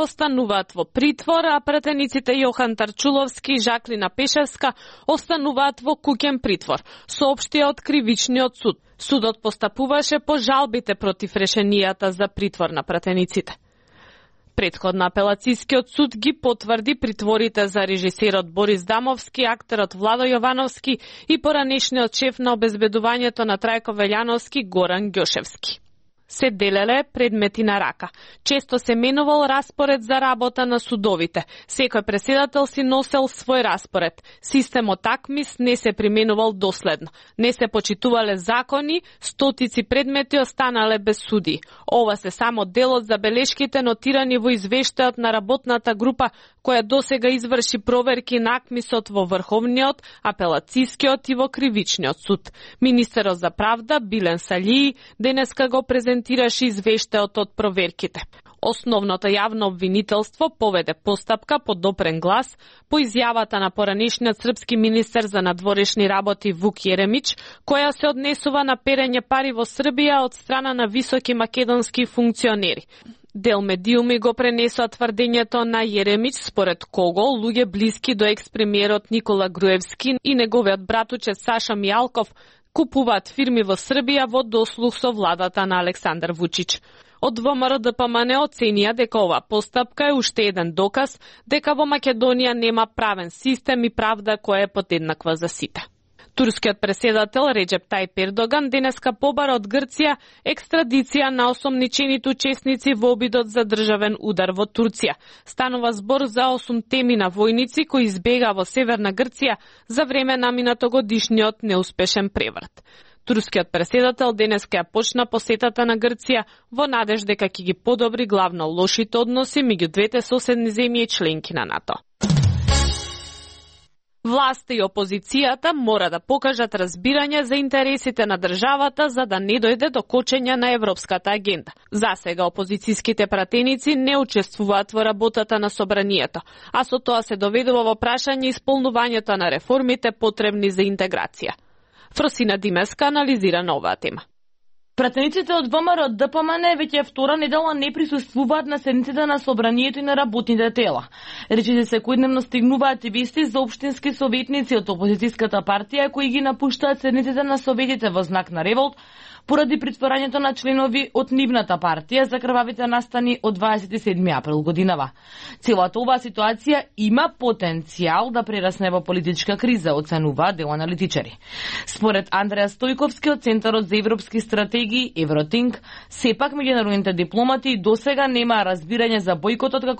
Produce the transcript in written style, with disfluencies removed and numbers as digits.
остануваат во притвор, а пратениците Јохан Тарчуловски и Жаклина Пешевска остануваат во куќен притвор, соопштија од Кривичниот суд. Судот постапуваше по жалбите против решенијата за притвор на пратениците. Претходно апелацијскиот суд ги потврди притворите за режисерот Борис Дамовски, актерот Владо Јовановски и поранешниот шеф на обезбедувањето на Трајко Велјановски Горан Ѓошевски. Се делеле предмети на рака. Често се менувал распоред за работа на судовите. Секој преседател си носел свој распоред. Системот АКМИС не се применувал доследно. Не се почитувале закони, стотици предмети останале без суди. Ова се само дел од забелешките нотирани во извештајот на работната група која досега изврши проверки на АКМИСот во Врховниот, Апелацијскиот и во Кривичниот суд. Министерот за правда Билен Салији денеска го презентираше извештајот од проверките. Основното јавно обвинителство поведе постапка по допрен глас по изјавата на поранешниот српски министер за надворешни работи Вук Јеремич, која се однесува на перење пари во Србија од страна на високи македонски функционери. Дел медиуми го пренесоа тврдењето на Јеремич, според кого луѓе блиски до екс-премиерот Никола Груевски и неговиот братуче Саша Мијалков купуваат фирми во Србија во дослух со владата на Александар Вучич. Од ВМРО ДПМН оценија дека ова постапка е уште еден доказ дека во Македонија нема правен систем и правда која е подеднаква за сите. Турскиот преседател Реджеп Тајип Ердоган денеска побара од Грција екстрадиција на осомничените учесници во обидот за државен удар во Турција. Станува збор за 8 темина војници кои избегаа во Северна Грција за време на минатогодишниот неуспешен преврат. Турскиот преседател денеска ја почна посетата на Грција во надеж дека ќе ги подобри главно лошите односи меѓу двете соседни земји и членки на НАТО. Власта и опозицијата мора да покажат разбирање за интересите на државата за да не дојде до кочење на европската агенда. За сега опозицијските пратеници не учествуваат во работата на собранието, а со тоа се доведува во прашање исполнувањето на реформите потребни за интеграција. Фросина Димеска анализира на оваа тема. Пратениците од ВМРО ДПМН веќе втора недела не присуствуваат на седниците на собранието и на работните тела. Речите секојдневно стигнуваат и вести за општински советници од опозицијската партија кои ги напуштаат седниците на советите во знак на револт поради притворањето на членови од нивната партија за крвавите настани од 27 април годинава. Целата оваа ситуација има потенцијал да прерасне во политичка криза, оценуваат дел аналитичари. Според Андреа Стојковски од Центарот за европски стратегии Евротинк, сепак меѓународните дипломати досега немаа разбирање за бојкотот како